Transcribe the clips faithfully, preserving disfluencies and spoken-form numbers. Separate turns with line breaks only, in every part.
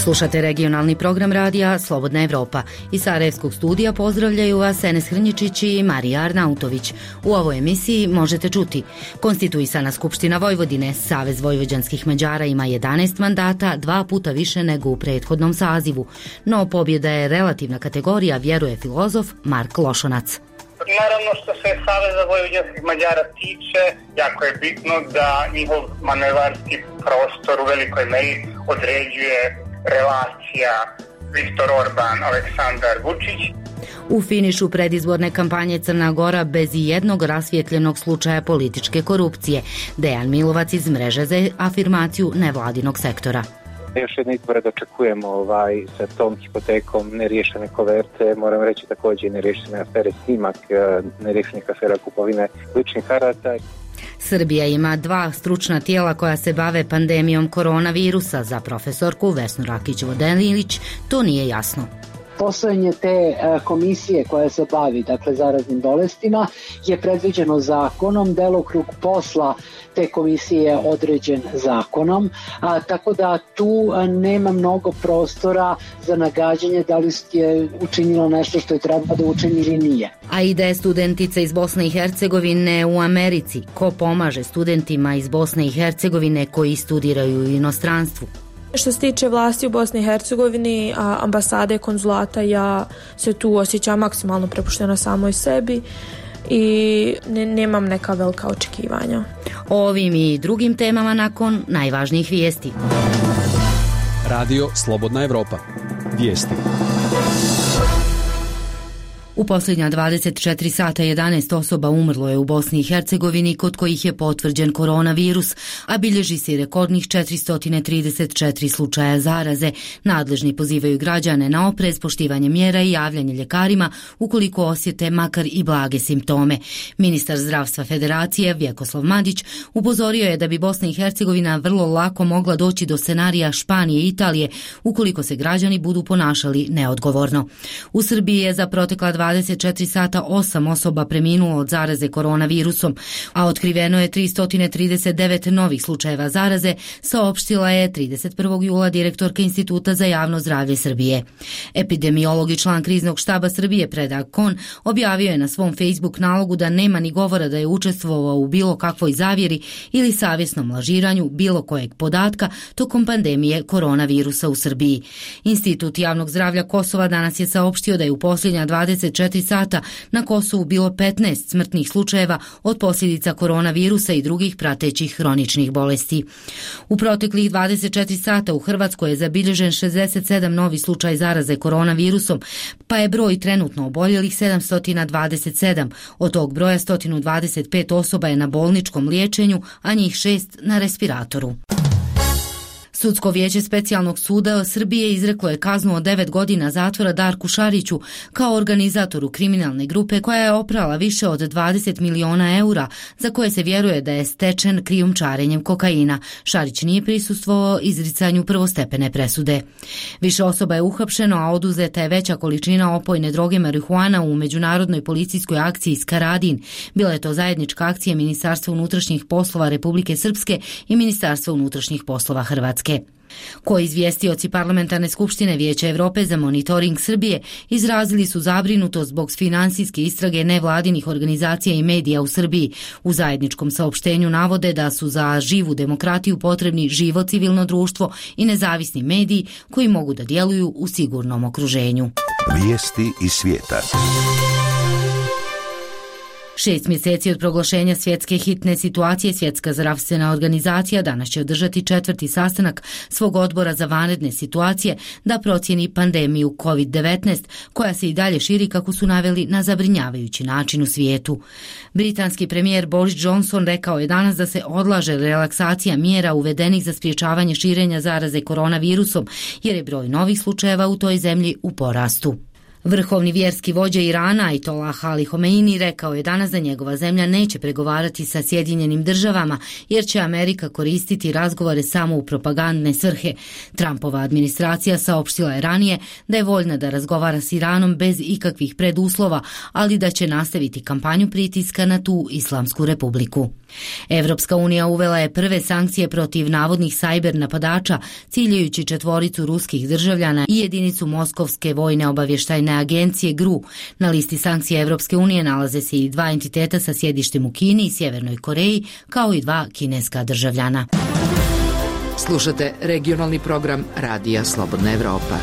Slušate regionalni program radija Slobodna Evropa. Iz Sarajevskog studija pozdravljaju vas Enes Hrnjičić i Marija Arnautović. U ovoj emisiji možete čuti: konstituisana Skupština Vojvodine, Savez vojvođanskih Mađara ima jedanaest mandata, dva puta više nego u prethodnom sazivu. No pobjeda je relativna kategorija, vjeruje filozof Mark Lošonac.
Naravno, što se Saveza vojvođanskih Mađara tiče, jako je bitno da njihov manevarski prostor u velikoj meri određuje relacija Viktor Orban, Aleksandar Vučić.
U finišu predizborne kampanje Crna Gora bez i jednog rasvjetljenog slučaja političke korupcije. Dejan Milovac iz Mreže za afirmaciju nevladinog sektora.
Još jedne izbore dočekujemo ovaj, sa tom hipotekom, neriješene koverte, moram reći također neriješene afere Snimak, neriješenih afera kupovine ličnih karata.
Srbija ima dva stručna tijela koja se bave pandemijom koronavirusa. Za profesorku Vesnu Rakić-Vodelić to nije jasno.
Postojanje te komisije koja se bavi, dakle, zaraznim bolestima je predviđeno zakonom, delokrug posla te komisije je određen zakonom, a, tako da tu a, nema mnogo prostora za nagađanje da li je učinilo nešto što je treba da učini ili nije.
A ide studentica iz Bosne i Hercegovine u Americi. Ko pomaže studentima iz Bosne i Hercegovine koji studiraju u inostranstvu?
Što se tiče vlasti u Bosni i Hercegovini, ambasade, konzulata, ja se tu osjećam maksimalno prepuštena samoj sebi i ne, nemam neka velika očekivanja.
O ovim i drugim temama nakon najvažnijih vijesti.
Radio Slobodna Evropa. Vijesti.
U posljednja dvadeset četiri sata jedanaest osoba umrlo je u Bosni i Hercegovini kod kojih je potvrđen koronavirus, a bilježi se rekordnih četiristo trideset četiri slučaja zaraze. Nadležni pozivaju građane na oprez, poštivanje mjera i javljanje ljekarima ukoliko osjete makar i blage simptome. Ministar zdravstva Federacije Vjekoslav Madić upozorio je da bi Bosna i Hercegovina vrlo lako mogla doći do scenarija Španije i Italije ukoliko se građani budu ponašali neodgovorno. U Srbiji je za protekla dvadeset četiri sata osam osoba preminulo od zaraze koronavirusom, a otkriveno je tristo trideset devet novih slučajeva zaraze, saopštila je trideset prvog jula direktorka Instituta za javno zdravlje Srbije. Epidemiolog i član kriznog štaba Srbije Predrag Kon objavio je na svom Facebook nalogu da nema ni govora da je učestvovao u bilo kakvoj zavjeri ili savjesnom lažiranju bilo kojeg podatka tokom pandemije koronavirusa u Srbiji. Institut javnog zdravlja Kosova danas je saopštio da je u posljednja dvadeset četiri sata na Kosovu bilo petnaest smrtnih slučajeva od posljedica koronavirusa i drugih pratećih hroničnih bolesti. U proteklih dvadeset četiri sata u Hrvatskoj je zabilježen šezdeset sedam novi slučaj zaraze koronavirusom, pa je broj trenutno oboljelih sedamsto dvadeset sedam. Od tog broja sto dvadeset pet osoba je na bolničkom liječenju, a njih šest na respiratoru. Sudsko vijeće specijalnog suda Srbije izreklo je kaznu od devet godina zatvora Darku Šariću kao organizatoru kriminalne grupe koja je oprala više od dvadeset miliona eura za koje se vjeruje da je stečen krijumčarenjem kokaina. Šarić nije prisustvovao izricanju prvostepene presude. Više osoba je uhapšeno, a oduzeta je veća količina opojne droge marihuana u međunarodnoj policijskoj akciji Skaradin. Bila je to zajednička akcija Ministarstva unutrašnjih poslova Republike Srpske i Ministarstva unutrašnjih poslova Hrvatske. Koji izvjestioci Parlamentarne skupštine Vijeća Evrope za monitoring Srbije izrazili su zabrinutost zbog finansijske istrage nevladinih organizacija i medija u Srbiji. U zajedničkom saopštenju navode da su za živu demokratiju potrebni živo civilno društvo i nezavisni mediji koji mogu da djeluju u sigurnom okruženju.
Vijesti iz svijeta.
Šest mjeseci od proglašenja svjetske hitne situacije Svjetska zdravstvena organizacija danas će održati četvrti sastanak svog odbora za vanredne situacije da procjeni pandemiju kovid devetnaest koja se i dalje širi, kako su naveli, na zabrinjavajući način u svijetu. Britanski premijer Boris Johnson rekao je danas da se odlaže relaksacija mjera uvedenih za sprječavanje širenja zaraze koronavirusom jer je broj novih slučajeva u toj zemlji u porastu. Vrhovni vjerski vođa Irana Ajatollah Ali Homeini rekao je danas da njegova zemlja neće pregovarati sa Sjedinjenim državama jer će Amerika koristiti razgovore samo u propagandne svrhe. Trumpova administracija saopštila je ranije da je voljna da razgovara s Iranom bez ikakvih preduslova, ali da će nastaviti kampanju pritiska na tu Islamsku republiku. Evropska unija uvela je prve sankcije protiv navodnih sajber napadača, ciljajući četvoricu ruskih državljana i jedinicu Moskovske vojne obavještajne agencije G R U. Na listi sankcija Evropske unije nalaze se i dva entiteta sa sjedištem u Kini i Sjevernoj Koreji, kao i dva kineska državljana.
Slušate regionalni program Radija Slobodna Evropa.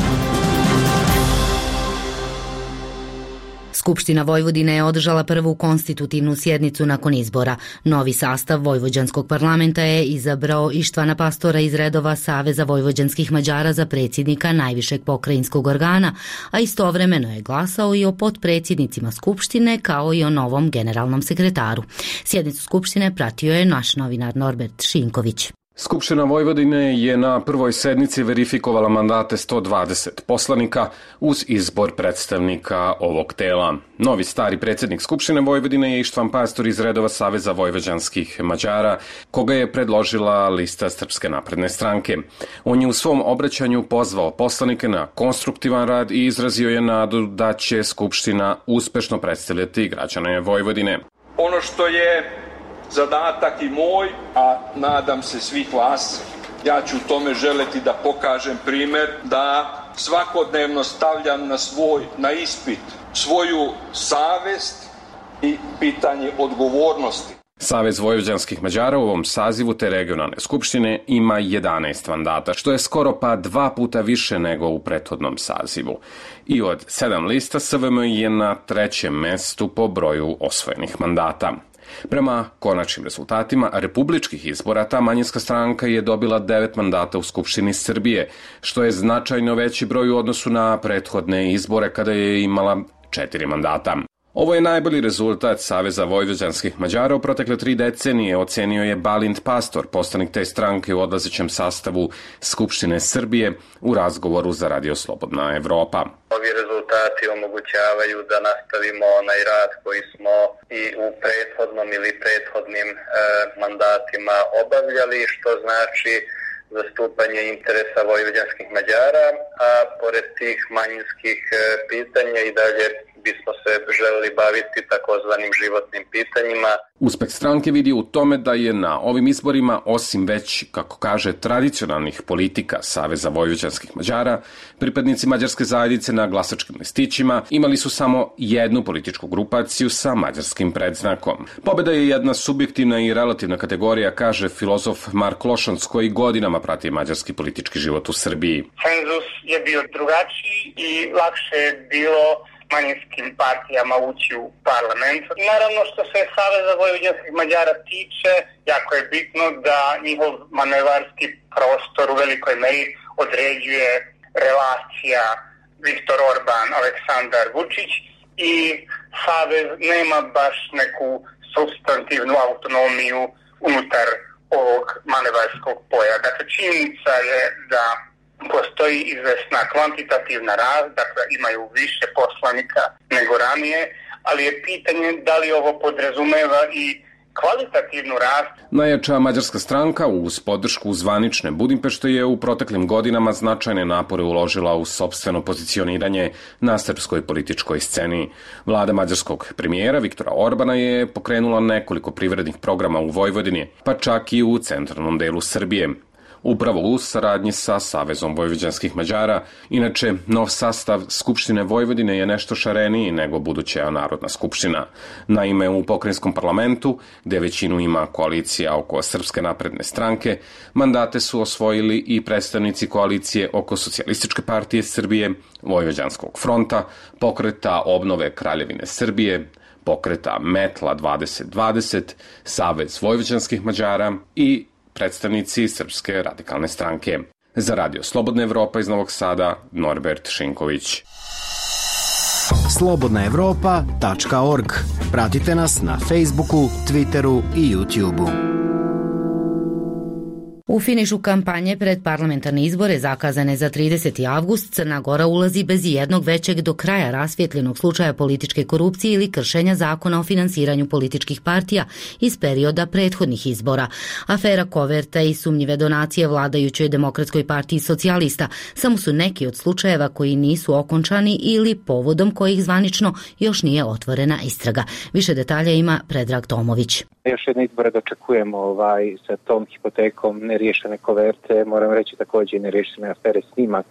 Skupština Vojvodine je održala prvu konstitutivnu sjednicu nakon izbora. Novi sastav Vojvođanskog parlamenta je izabrao Ištvana Pastora iz redova Saveza vojvođanskih Mađara za predsjednika najvišeg pokrajinskog organa, a istovremeno je glasao i o potpredsjednicima Skupštine kao i o novom generalnom sekretaru. Sjednicu Skupštine pratio je naš novinar Norbert Šinković.
Skupština Vojvodine je na prvoj sednici verifikovala mandate sto dvadeset poslanika uz izbor predstavnika ovog tela. Novi stari predsjednik Skupštine Vojvodine je Ištvan Pastor iz redova Saveza vojvođanskih Mađara, koga je predložila lista Srpske napredne stranke. On je u svom obraćanju pozvao poslanike na konstruktivan rad i izrazio je nadu da će Skupština uspešno predstavljati građane Vojvodine.
Ono što je zadatak i moj, a nadam se svih vas, ja ću u tome želeti da pokažem primjer, da svakodnevno stavljam na svoj, na ispit svoju savest i pitanje odgovornosti.
Savez vojvođanskih Mađara u ovom sazivu te regionalne skupštine ima jedanaest mandata, što je skoro pa dva puta više nego u prethodnom sazivu. I od sedam lista S V M je na trećem mestu po broju osvojenih mandata. Prema konačnim rezultatima republičkih izbora, ta manjinska stranka je dobila devet mandata u Skupštini Srbije, što je značajno veći broj u odnosu na prethodne izbore kada je imala četiri mandata. Ovo je najbolji rezultat Saveza vojvođanskih Mađara u protekle tri decenije, ocenio je Balint Pastor, poslanik te stranke u odlazećem sastavu Skupštine Srbije, u razgovoru za Radio Slobodna Evropa.
Ovi rezultati omogućavaju da nastavimo onaj rad koji smo i u prethodnom ili prethodnim e, mandatima obavljali, što znači zastupanje interesa vojvođanskih Mađara, a pored tih manjinskih e, pitanja i dalje bismo se želeli baviti takozvanim životnim pitanjima.
Uspeh stranke vidi u tome da je na ovim izborima, osim već, kako kaže, tradicionalnih politika Saveza vojvođanskih Mađara, pripadnici mađarske zajednice na glasačkim listićima imali su samo jednu političku grupaciju sa mađarskim predznakom. Pobeda je jedna subjektivna i relativna kategorija, kaže filozof Mark Lošanc, koji godinama prati mađarski politički život u Srbiji.
Cenzus je bio drugačiji i lakše je bilo manjinskim partijama ući u parlament. Naravno, što se Saveza vojvođanskih Mađara tiče, jako je bitno da njihov manevarski prostor u velikoj meri određuje relacija Viktor Orban, Aleksandar Vučić i Savez nema baš neku substantivnu autonomiju unutar ovog manevarskog polja. Dakle, činjenica je da postoji izvesna kvantitativna rast, dakle imaju više poslanika nego ranije, ali je pitanje da li ovo podrazumeva i kvalitativnu rast.
Najjača mađarska stranka uz podršku zvanične Budimpešte je u proteklim godinama značajne napore uložila u sopstveno pozicioniranje na srpskoj političkoj sceni. Vlada mađarskog premijera Viktora Orbana je pokrenula nekoliko privrednih programa u Vojvodini, pa čak i u centralnom delu Srbije. Upravo u saradnji sa Savezom vojvođanskih Mađara. Inače, nov sastav Skupštine Vojvodine je nešto šareniji nego buduća Narodna skupština. Naime, u pokrajinskom parlamentu, gde većinu ima koalicija oko Srpske napredne stranke, mandate su osvojili i predstavnici koalicije oko Socijalističke partije Srbije, Vojvođanskog fronta, Pokreta obnove Kraljevine Srbije, Pokreta Metla dvadeset dvadeset, Savez vojvođanskih Mađara i predstavnici Srpske radikalne stranke. Za Radio Slobodna Evropa iz Novog Sada, Norbert Šinković.
slobodna evropa tačka org. Pratite nas na Facebooku, Twitteru i YouTubeu.
U finišu kampanje pred parlamentarne izbore zakazane za trideseti avgust, Crna Gora ulazi bez jednog većeg do kraja rasvjetljenog slučaja političke korupcije ili kršenja zakona o finansiranju političkih partija iz perioda prethodnih izbora. Afera koverta i sumnjive donacije vladajućoj Demokratskoj partiji socijalista samo su neki od slučajeva koji nisu okončani ili povodom kojih zvanično još nije otvorena istraga. Više detalja ima Predrag Tomović.
Još jedne izbore dočekujemo ovaj, sa tom hipotekom neriješene koverte, moram reći također i neriješene afere snimak,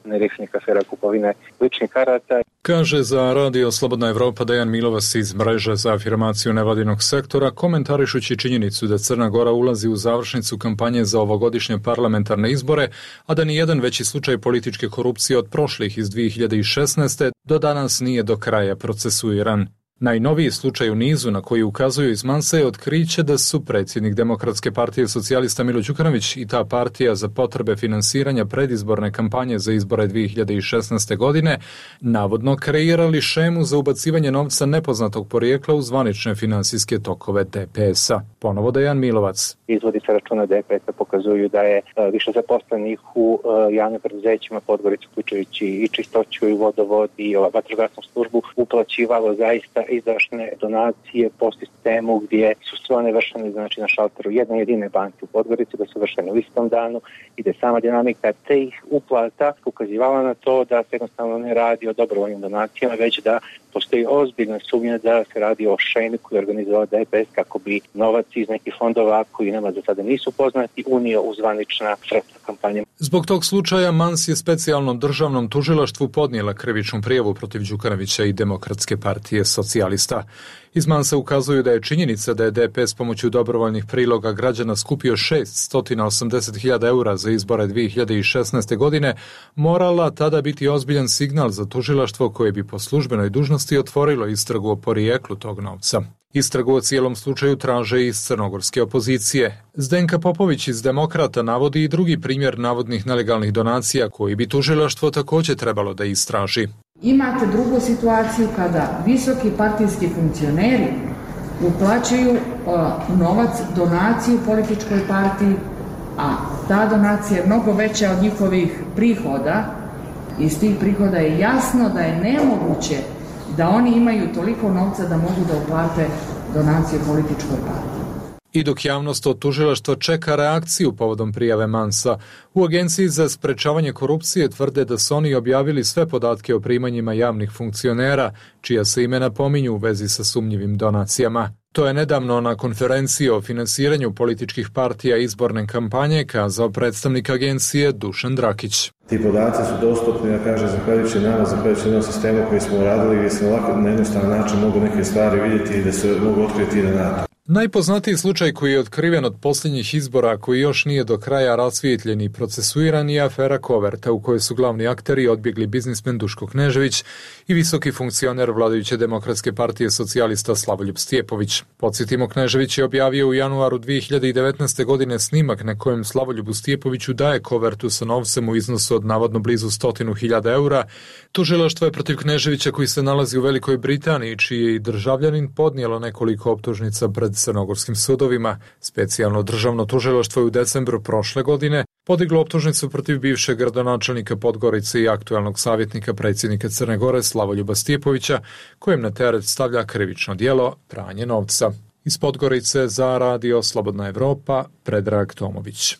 neriješenih afera kupovine ličnih karata.
Kaže za Radio Slobodna Evropa Dejan Milovac iz mreže za afirmaciju nevladinog sektora, komentarišući činjenicu da Crna Gora ulazi u završnicu kampanje za ovogodišnje parlamentarne izbore, a da ni jedan veći slučaj političke korupcije od prošlih iz dvije hiljade šesnaeste. do danas nije do kraja procesuiran. Najnoviji slučaj u nizu na koji ukazuju iz Mansa je otkriće da su predsjednik Demokratske partije socijalista Milo Đukanović i ta partija za potrebe finansiranja predizborne kampanje za izbore dvije hiljade šesnaeste. godine navodno kreirali šemu za ubacivanje novca nepoznatog porijekla u zvanične finansijske tokove D P S-a. Ponovo Dejan Milovac.
Izvodi sa računa D P S-a pokazuju da je više zaposlenih u javnim preduzećima Podgorica, uključujući i čistoću i vodovod i vatrogasnu službu, uplaćivalo zaista izdašne donacije po sistemu gdje su sve one vršene, znači na šalteru jedne jedine banke u Podgorici, da su vršene u istom danu i da je sama dinamika tih uplata ukazivala na to da se jednostavno ne radi o dobrovoljnim donacijama, već da postoji ozbiljna sumnja da se radi o šemi koju je organizovala D P S kako bi novac iz nekih fondova koji nama za sada nisu poznati unio u zvanična sredstva kampanje.
Zbog tog slučaja Mans je specijalnom državnom tužilaštvu podnijela krivičnu prijavu protiv Đukanovića i Demokratske partije socijalista. Iz Mansa ukazuju da je činjenica da je D P S pomoću dobrovoljnih priloga građana skupio šeststo osamdeset hiljada eura za izbore dvije hiljade šesnaeste. godine morala tada biti ozbiljan signal za tužilaštvo koje bi po službenoj dužnosti otvorilo istragu o porijeklu tog novca. Istragu o cijelom slučaju traže iz crnogorske opozicije. Zdenka Popović iz Demokrata navodi i drugi primjer navodnih nelegalnih donacija koji bi tužilaštvo također trebalo da istraži.
Imate drugu situaciju kada visoki partijski funkcioneri uplaćuju uh, novac, donaciju političkoj partiji, a ta donacija je mnogo veća od njihovih prihoda. Iz tih prihoda je jasno da je nemoguće da oni imaju toliko novca da mogu da uplate donaciju političkoj partiji.
I dok javnost od tužilaštva čeka reakciju povodom prijave Mansa, u Agenciji za sprečavanje korupcije tvrde da su oni objavili sve podatke o primanjima javnih funkcionera, čija se imena pominju u vezi sa sumnjivim donacijama. To je nedavno na konferenciji o finansiranju političkih partija izborne kampanje kazao predstavnik agencije Dušan Drakić.
Ti podaci su dostupni, ja kažem, zahvaljujući nama, zahvaljujući jednom sistemu koji smo uradili, gdje se lako na jednostavan način mogu neke stvari vidjeti i da se mogu otkriti i na NATO.
Najpoznatiji slučaj koji je otkriven od posljednjih izbora, koji još nije do kraja rasvijetljen i procesuiran, je afera koverta u kojoj su glavni akteri odbjegli biznismen Duško Knežević i visoki funkcioner vladajuće Demokratske partije socijalista Slavoljub Stjepović. Podsjetimo, Knežević je objavio u januaru dvije hiljade devetnaeste. godine snimak na kojem Slavoljubu Stjepoviću daje kovertu sa novcem u iznosu od navodno blizu stotinu hiljada eura. Tužilaštvo je protiv Kneževića, koji se nalazi u Velikoj Britaniji, čiji je i državljanin, podnijelo nekoliko optužnica pred crnogorskim sudovima. Specijalno državno tužilaštvo je u decembru prošle godine podiglo optužnicu protiv bivšeg gradonačelnika Podgorice i aktualnog savjetnika predsjednika Crne Gore Slavoljuba Stjepovića, kojem na teret stavlja krivično djelo pranje novca. Iz Podgorice za Radio Slobodna Evropa, Predrag Tomović.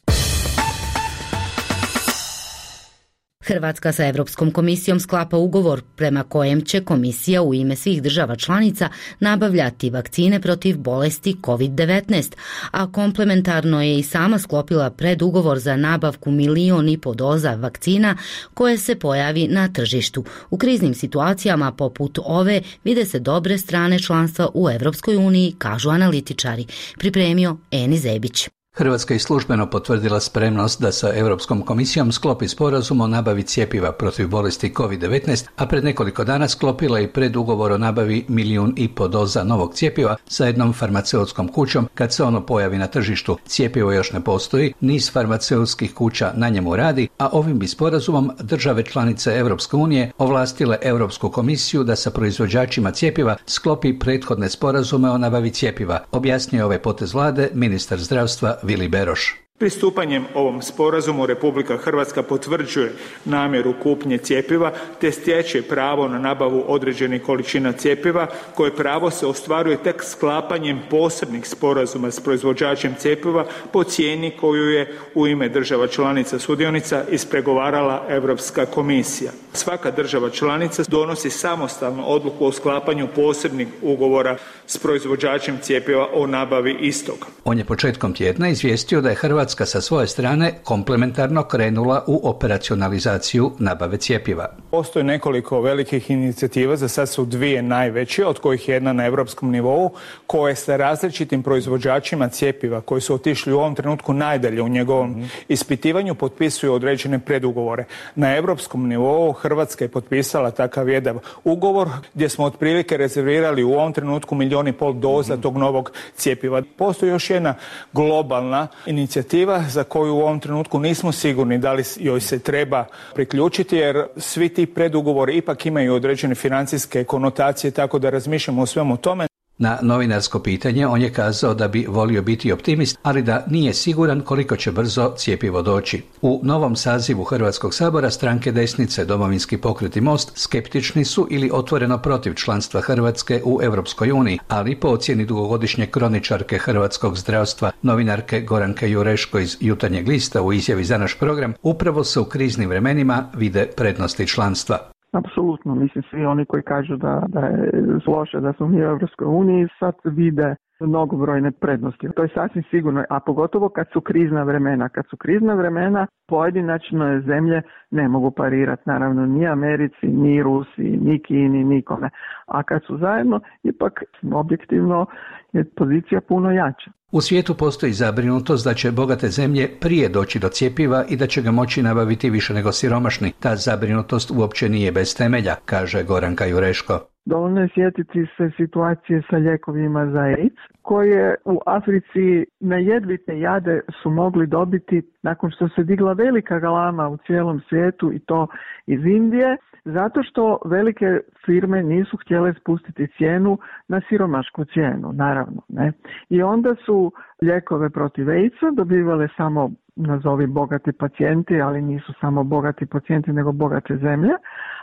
Hrvatska sa Europskom komisijom sklapa ugovor prema kojem će komisija u ime svih država članica nabavljati vakcine protiv bolesti kovid devetnaest, a komplementarno je i sama sklopila predugovor za nabavku milion i po doza vakcina koje se pojavi na tržištu. U kriznim situacijama poput ove vide se dobre strane članstva u Europskoj uniji, kažu analitičari. Pripremio Eni Zebić.
Hrvatska je službeno potvrdila spremnost da sa Europskom komisijom sklopi sporazum o nabavi cjepiva protiv bolesti kovid devetnaest, a pred nekoliko dana sklopila i predugovor o nabavi milijun i po doza novog cjepiva sa jednom farmaceutskom kućom kad se ono pojavi na tržištu. Cjepivo još ne postoji, niz farmaceutskih kuća na njemu radi, a ovim bi sporazumom države članice Europske unije ovlastile Europsku komisiju da sa proizvođačima cjepiva sklopi prethodne sporazume o nabavi cjepiva, objasnio ovaj potez vlade ministar zdravstva Vili Beroš.
Pristupanjem ovom sporazumu Republika Hrvatska potvrđuje namjeru kupnje cjepiva te stječe pravo na nabavu određenih količina cjepiva koje pravo se ostvaruje tek sklapanjem posebnih sporazuma s proizvođačem cjepiva po cijeni koju je u ime država članica sudionica ispregovarala Europska komisija. Svaka država članica donosi samostalnu odluku o sklapanju posebnih ugovora s proizvođačem cjepiva o nabavi istog.
On je početkom tjedna izvijestio da je Hrvatska sa svoje strane komplementarno krenula u operacionalizaciju nabave cjepiva.
Postoji nekoliko velikih inicijativa, za sad su dvije najveće, od kojih je jedna na europskom nivou, koje sa različitim proizvođačima cjepiva koji su otišli u ovom trenutku najdalje u njegovom mm-hmm. ispitivanju potpisuju određene predugovore. Na europskom nivou Hrvatska je potpisala takav jedan ugovor gdje smo otprilike rezervirali u ovom trenutku milijun i pol doza mm-hmm. tog novog cjepiva. Postoji još jedna globalna inicijativa za koju u ovom trenutku nismo sigurni da li joj se treba priključiti, jer svi ti predugovori ipak imaju određene financijske konotacije, tako da razmišljamo o svemu tome.
Na novinarsko pitanje on je kazao da bi volio biti optimist, ali da nije siguran koliko će brzo cjepivo doći. U novom sazivu Hrvatskog sabora stranke desnice, Domovinski pokret i Most skeptični su ili otvoreno protiv članstva Hrvatske u Europskoj uniji, ali po ocjeni dugogodišnje kroničarke hrvatskog zdravstva, novinarke Goranke Jureško iz Jutarnjeg lista u izjavi za naš program, upravo se u kriznim vremenima vide prednosti članstva.
Apsolutno, mislim svi oni koji kažu da, da je loše da smo mi u Europskoj uniji sad vide mnogobrojne prednosti. To je sasvim sigurno, a pogotovo kad su krizna vremena. Kad su krizna vremena, pojedinačne zemlje ne mogu parirati, naravno ni Americi, ni Rusiji, ni Kini, nikome. A kad su zajedno, ipak objektivno je pozicija puno jača.
U svijetu postoji zabrinutost da će bogate zemlje prije doći do cjepiva i da će ga moći nabaviti više nego siromašni. Ta zabrinutost uopće nije bez temelja, kaže Goranka Jureško.
Dovoljno je sjetiti se situacije sa lijekovima za AIDS, koje u Africi na jedvite jade su mogli dobiti nakon što se digla velika galama u cijelom svijetu, i to iz Indije, zato što velike firme nisu htjele spustiti cijenu na siromašku cijenu, naravno. Ne? I onda su lijekove protiv AIDS-a dobivale samo, nazovi, bogati pacijenti, ali nisu samo bogati pacijenti, nego bogate zemlje,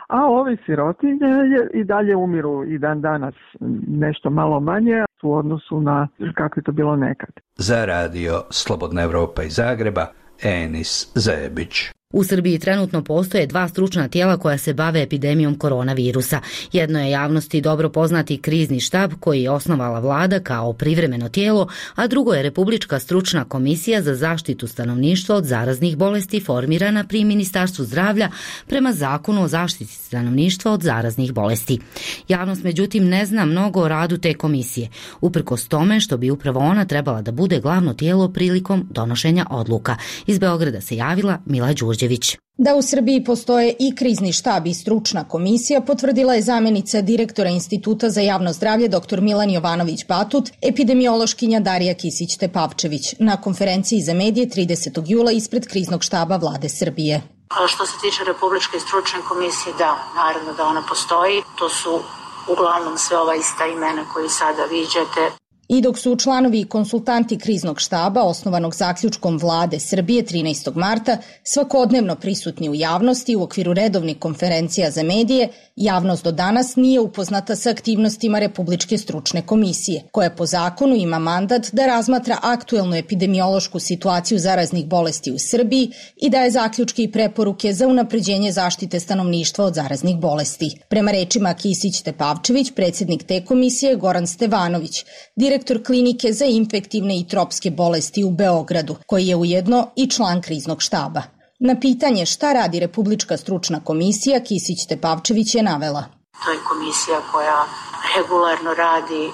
a ovi sirotinje i dalje umiru i dan danas nešto malo manje u odnosu na kako je to bilo nekad.
Za radio Slobodna Evropa iz Zagreba, Enis Zebić.
U Srbiji trenutno postoje dva stručna tijela koja se bave epidemijom koronavirusa. Jedno je javnosti dobro poznati krizni štab koji je osnovala vlada kao privremeno tijelo, a drugo je Republička stručna komisija za zaštitu stanovništva od zaraznih bolesti formirana pri Ministarstvu zdravlja prema Zakonu o zaštiti stanovništva od zaraznih bolesti. Javnost međutim ne zna mnogo o radu te komisije, uprkos tome što bi upravo ona trebala da bude glavno tijelo prilikom donošenja odluka. Iz Beograda se javila Mila Đurđević.
Da u Srbiji postoje i krizni štab i stručna komisija potvrdila je zamjenica direktora Instituta za javno zdravlje dr. Milan Jovanović-Batut, epidemiološkinja Darija Kisić-Tepavčević na konferenciji za medije tridesetog jula ispred kriznog štaba vlade Srbije.
A što se tiče Republičke stručne komisije, da, naravno da ona postoji. To su uglavnom sve ova ista imena koji sada viđate.
I dok su članovi i konsultanti kriznog štaba osnovanog zaključkom vlade Srbije trinaestog marta svakodnevno prisutni u javnosti u okviru redovnih konferencija za medije, javnost do danas nije upoznata sa aktivnostima Republičke stručne komisije, koja po zakonu ima mandat da razmatra aktuelnu epidemiološku situaciju zaraznih bolesti u Srbiji i daje zaključke i preporuke za unapređenje zaštite stanovništva od zaraznih bolesti. Prema rečima Kisić-Tepavčević, predsjednik te komisije Goran Stevanović, direktor klinike za infektivne i tropske bolesti u Beogradu, koji je ujedno i član kriznog štaba. Na pitanje šta radi Republička stručna komisija, Kisić-Tepavčević je navela.
To je komisija koja regularno radi uh,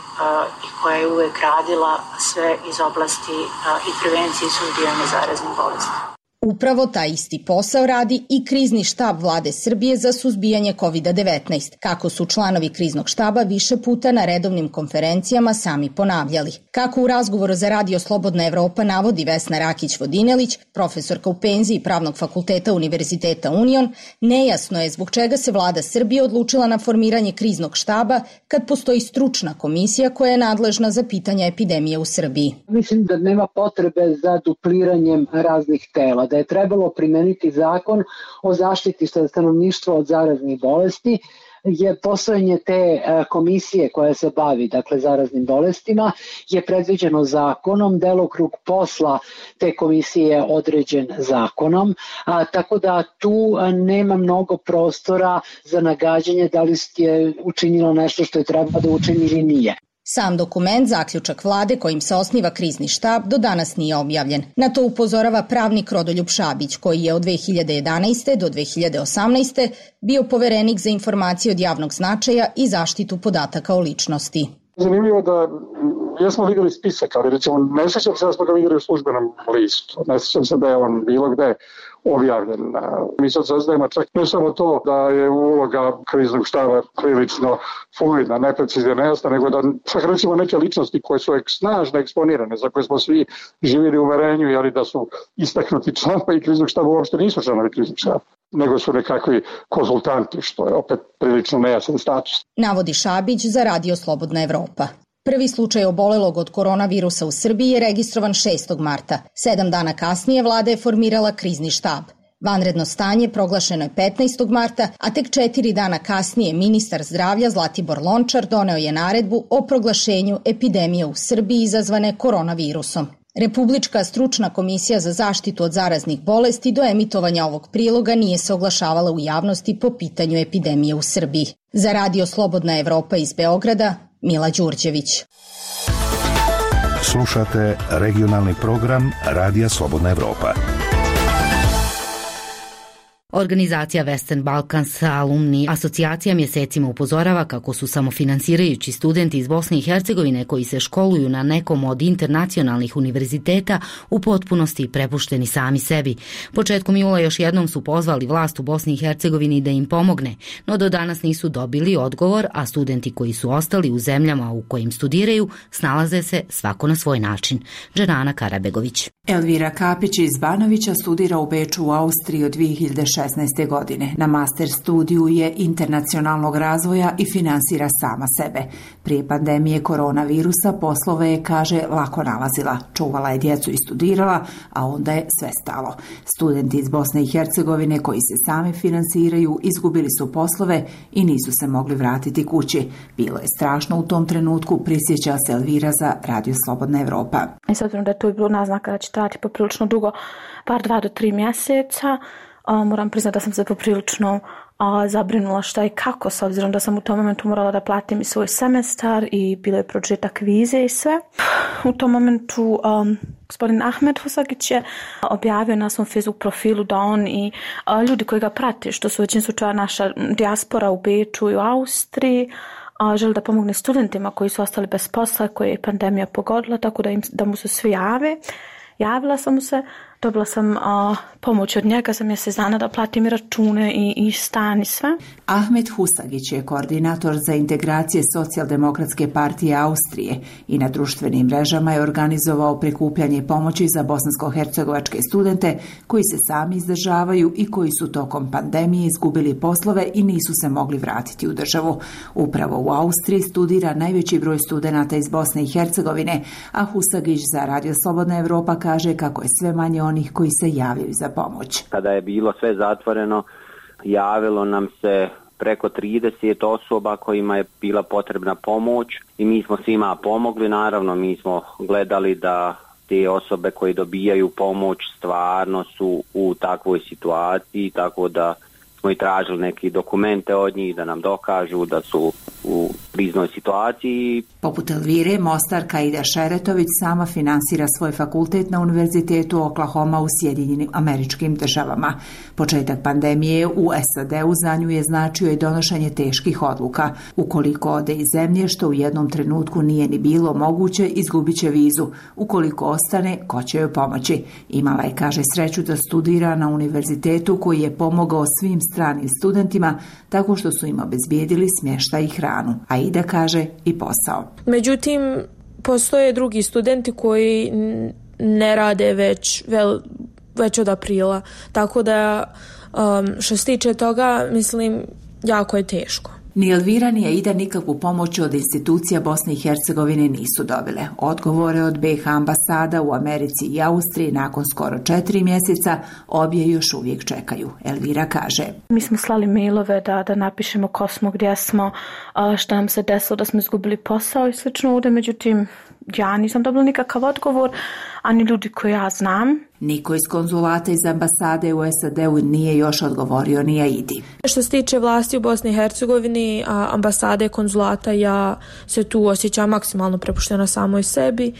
i koja je uvek radila sve iz oblasti uh, i prevencije i suzbijanja zaraznih bolesti.
Upravo taj isti posao radi i krizni štab Vlade Srbije za suzbijanje kovid devetnaest, kako su članovi kriznog štaba više puta na redovnim konferencijama sami ponavljali. Kako u razgovoru za Radio Slobodna Evropa navodi Vesna Rakić-Vodinelić, profesorka u penziji Pravnog fakulteta Univerziteta Union, nejasno je zbog čega se Vlada Srbije odlučila na formiranje kriznog štaba kad postoji stručna komisija koja je nadležna za pitanja epidemije u Srbiji.
Mislim da nema potrebe za dupliranjem raznih tela, da je trebalo primeniti zakon o zaštiti stanovništva od zaraznih bolesti, je postojanje te komisije koja se bavi dakle zaraznim bolestima je predviđeno zakonom, delokrug posla te komisije je određen zakonom, a, tako da tu nema mnogo prostora za nagađanje da li je učinilo nešto što je treba da učini ili nije.
Sam dokument, zaključak vlade kojim se osniva krizni štab, do danas nije objavljen. Na to upozorava pravnik Rodoljub Šabić, koji je od dve hiljade jedanaeste do dve hiljade osamnaeste bio poverenik za informacije od javnog značaja i zaštitu podataka o ličnosti.
Zanimljivo da jesmo vidjeli spisak, ali recimo ne sjećam se da smo ga vidjeli u službenom listu. Ne sjećam se da je on bilo gde objavljen. Mi sad saznajemo čak ne samo to da je uloga kriznog štaba prilično fluidna, neprecizna, nejasna, nego da čak recimo neke ličnosti koje su snažno eksponirane, za koje smo svi živjeli u uverenju, jeli da su istaknuti članovi kriznog štaba, uopšte nisu članovi kriznog štaba, nego su nekakvi konsultanti, što je opet prilično nejasan status.
Navodi Šabić za Radio Slobodna Evropa. Prvi slučaj obolelog od koronavirusa u Srbiji je registrovan šestog marta. Sedam dana kasnije vlada je formirala krizni štab. Vanredno stanje proglašeno je petnaestog marta, a tek četiri dana kasnije ministar zdravlja Zlatibor Lončar doneo je naredbu o proglašenju epidemije u Srbiji izazvane koronavirusom. Republička stručna komisija za zaštitu od zaraznih bolesti do emitovanja ovog priloga nije se oglašavala u javnosti po pitanju epidemije u Srbiji. Za Radio Slobodna Evropa iz Beograda, Mila Đurđević.
Slušate regionalni program Radija Slobodna Evropa.
Organizacija Western Balkans Alumni asocijacija mjesecima upozorava kako su samofinansirajući studenti iz Bosne i Hercegovine koji se školuju na nekom od internacionalnih univerziteta u potpunosti prepušteni sami sebi. Početkom jula još jednom su pozvali vlast u Bosni i Hercegovini da im pomogne, no do danas nisu dobili odgovor, a studenti koji su ostali u zemljama u kojim studiraju snalaze se svako na svoj način. Dženana Karabegović.
Elvira Kapić iz Banovića studira u Beču u Austriji od dve hiljade šesnaeste. godine. Na master studiju je internacionalnog razvoja i finansira sama sebe. Prije pandemije koronavirusa poslove je, kaže, lako nalazila. Čuvala je djecu i studirala, a onda je sve stalo. Studenti iz Bosne i Hercegovine koji se sami finansiraju izgubili su poslove i nisu se mogli vratiti kući. Bilo je strašno u tom trenutku, prisjeća se Elvira za Radio Slobodna Evropa.
I s obzirom da je to bilo naznaka da će trajati poprilično dugo, par dva do tri mjeseca, A, moram priznati da sam se poprilično a, zabrinula šta i kako, s obzirom da sam u tom momentu morala da platim i svoj semestar i bilo je pročetak vize i sve. U tom momentu um, gospodin Ahmed Husagić je objavio na svom Facebook profilu da on i a, ljudi koji ga prate, što su većin slučaja naša dijaspora u Beču i u Austriji, a, želi da pomogne studentima koji su ostali bez posla, koje je pandemija pogodila, tako da, im, da mu se svi jave. Javila sam mu se, dobila sam a, pomoć od njega za mjesec dana da platim račune i, i stan i sve.
Ahmed Husagić je koordinator za integracije Socijaldemokratske partije Austrije i na društvenim mrežama je organizovao prikupljanje pomoći za bosansko-hercegovačke studente koji se sami izdržavaju i koji su tokom pandemije izgubili poslove i nisu se mogli vratiti u državu. Upravo u Austriji studira najveći broj studenata iz Bosne i Hercegovine, a Husagić za Radio Slobodna Evropa kaže kako je sve manje onih koji se javljaju za pomoć.
Kada je bilo sve zatvoreno, javilo nam se preko trideset osoba kojima je bila potrebna pomoć i mi smo svima pomogli. Naravno, mi smo gledali da te osobe koje dobijaju pomoć stvarno su u takvoj situaciji, tako da smo i tražili neke dokumente od njih da nam dokažu da su u kriznoj situaciji.
Poput Elvire, Mostarka Ida Šeretović sama finansira svoj fakultet na Univerzitetu Oklahoma u Sjedinjenim Američkim Državama. Početak pandemije u S A D-u za nju je značio i donošenje teških odluka. Ukoliko ode iz zemlje, što u jednom trenutku nije ni bilo moguće, izgubit će vizu. Ukoliko ostane, ko će joj pomoći? Imala je, kaže, sreću da studira na univerzitetu koji je pomogao svim stranim studentima tako što su im obezbijedili smještaj i hranu. A Ida kaže i posao.
Međutim, postoje drugi studenti koji ne rade već, vel, već od aprila. Tako da, um, što se tiče toga, mislim, jako je teško.
Ni Elvira ni Aida nikakvu pomoć od institucija Bosne i Hercegovine nisu dobile. Odgovore od B iH ambasada u Americi i Austriji nakon skoro četiri mjeseca obje još uvijek čekaju. Elvira kaže:
Mi smo slali mailove da, da napišemo ko smo, gdje smo, šta nam se desilo, da smo izgubili posao i slično ovdje, međutim ja nisam dobila nikakav odgovor, ani ljudi koji ja znam.
Niko iz konzulata iz ambasade u S A D-u nije još odgovorio ni Aidi.
Što se tiče vlasti u Bosni i Hercegovini, ambasade, konzulata, ja se tu osjećam maksimalno prepuštena samoj sebi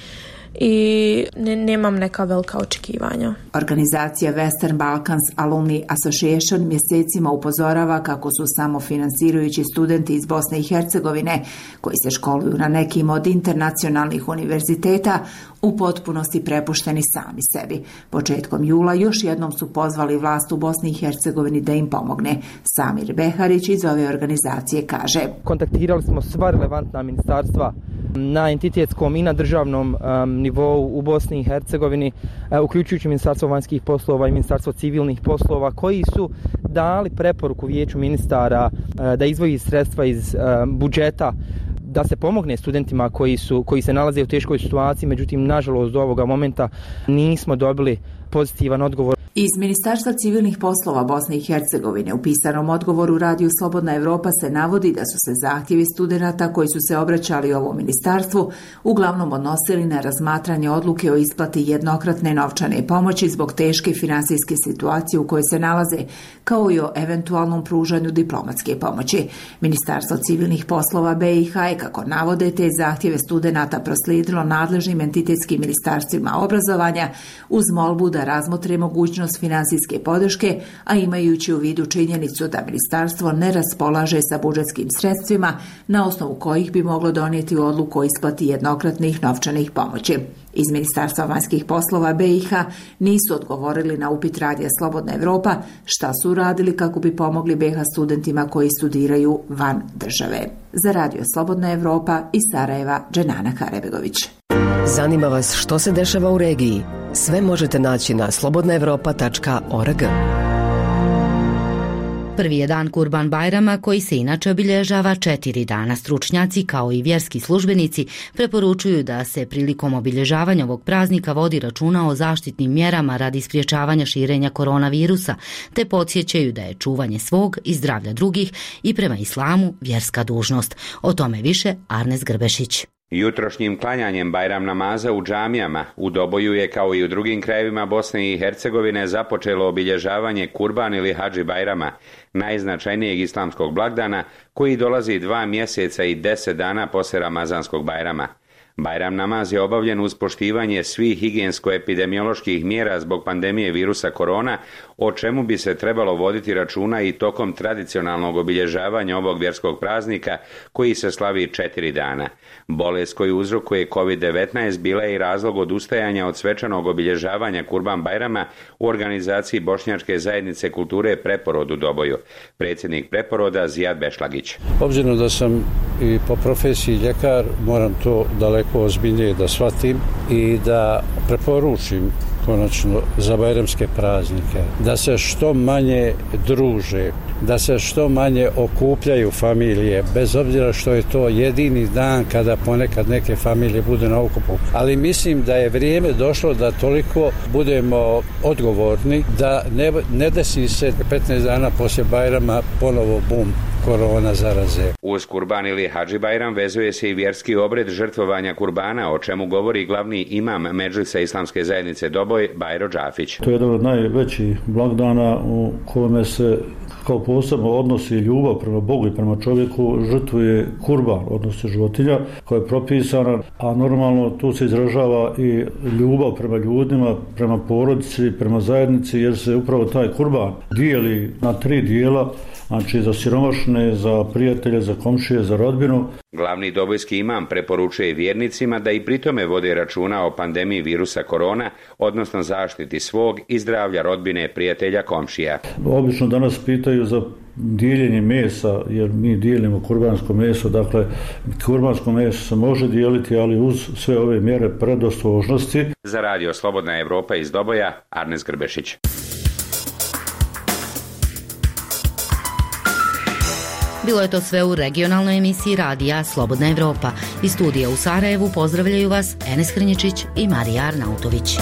i ne, nemam neka velika očekivanja.
Organizacija Western Balkans Alumni Association mjesecima upozorava kako su samo finansirajući studenti iz Bosne i Hercegovine koji se školuju na nekim od internacionalnih univerziteta u potpunosti prepušteni sami sebi. Početkom jula još jednom su pozvali vlast u Bosni i Hercegovini da im pomogne. Samir Beharić iz ove organizacije kaže:
Kontaktirali smo sva relevantna ministarstva na entitetskom i na državnom um, nivou u Bosni i Hercegovini, uh, uključujući Ministarstvo vanjskih poslova i Ministarstvo civilnih poslova, koji su dali preporuku Vijeću ministara uh, da izdvoji sredstva iz uh, budžeta da se pomogne studentima koji su koji se nalaze u teškoj situaciji, međutim nažalost do ovoga momenta nismo dobili pozitivan odgovor.
Iz Ministarstva civilnih poslova Bosne i Hercegovine u pisanom odgovoru Radiju Slobodna Evropa se navodi da su se zahtjevi studenata koji su se obraćali ovom ministarstvu uglavnom odnosili na razmatranje odluke o isplati jednokratne novčane pomoći zbog teške finansijske situacije u kojoj se nalaze, kao i o eventualnom pružanju diplomatske pomoći. Ministarstvo civilnih poslova B iH je, kako navode, te zahtjeve studenata proslijedilo nadležnim entitetskim ministarstvima obrazovanja uz molbu da razmotre mogućnost finansijske podrške, a imajući u vidu činjenicu da ministarstvo ne raspolaže sa budžetskim sredstvima na osnovu kojih bi moglo donijeti odluku o isplati jednokratnih novčanih pomoći. Iz Ministarstva vanjskih poslova B iH nisu odgovorili na upit Radija Slobodna Evropa šta su uradili kako bi pomogli B iH studentima koji studiraju van države. Za Radio Slobodna Evropa iz Sarajeva, Dženana Karebegović.
Zanima vas što se dešava u regiji? Sve možete naći na slobodna evropa tačka org.
Prvi je dan Kurban Bajrama, koji se inače obilježava četiri dana. Stručnjaci kao i vjerski službenici preporučuju da se prilikom obilježavanja ovog praznika vodi računa o zaštitnim mjerama radi sprječavanja širenja koronavirusa, te podsjećaju da je čuvanje svog i zdravlja drugih i prema islamu vjerska dužnost. O tome više Arnes Grbešić.
Jutrošnjim klanjanjem Bajram namaza u džamijama u Doboju je, kao i u drugim krajevima Bosne i Hercegovine, započelo obilježavanje Kurban ili Hadži Bajrama, najznačajnijeg islamskog blagdana koji dolazi dva mjeseca i deset dana poslije Ramazanskog Bajrama. Bajram namaz je obavljen uz poštivanje svih higijensko-epidemioloških mjera zbog pandemije virusa korona, o čemu bi se trebalo voditi računa i tokom tradicionalnog obilježavanja ovog vjerskog praznika koji se slavi četiri dana. Bolest koju uzrokuje kovid devetnaest bila je i razlog odustajanja od svečanog obilježavanja Kurban Bajrama u organizaciji Bošnjačke zajednice kulture Preporod u Doboju. Predsjednik Preporoda Zijad Bešlagić.
Obzirom da sam i po profesiji ljekar, moram to daleko ozbiljnije da shvatim i da preporučim konačno za bajramske praznike da se što manje druže, da se što manje okupljaju familije, bez obzira što je to jedini dan kada ponekad neke familije budu na okupu. Ali mislim da je vrijeme došlo da toliko budemo odgovorni da ne, ne desi se petnaest dana poslije Bajrama ponovo bum korona zaraze.
Uz Kurban ili Hadži Bajram vezuje se i vjerski obred žrtvovanja kurbana, o čemu govori glavni imam Medžlisa Islamske zajednice Doboj, Bajro Džafić.
To je jedan od najvećih blagdana u kome se
kao posebno odnos i ljubav prema Bogu i prema čovjeku žrtvuje kurban, odnosno životinja koja je propisana, a normalno tu se izražava i ljubav prema ljudima, prema porodici, prema zajednici, jer se upravo taj kurban dijeli na tri dijela, znači za siromašne, za prijatelje, za komšije, za rodbinu.
Glavni dobojski imam preporučuje vjernicima da i pritome vode računa o pandemiji virusa korona, odnosno zaštiti svog i zdravlja rodbine, prijatelja, komšija.
Obično danas pitaju za dijeljenje mesa, jer mi dijelimo kurbansko meso, dakle kurbansko meso se može dijeliti, ali uz sve ove mjere predostrožnosti.
Za radio Slobodna Evropa iz Doboja, Arnes Grbešić.
Bilo je to sve u regionalnoj emisiji radija Slobodna Evropa. Iz studija u Sarajevu pozdravljaju vas Enes Hrnječić i Marija Arnautović.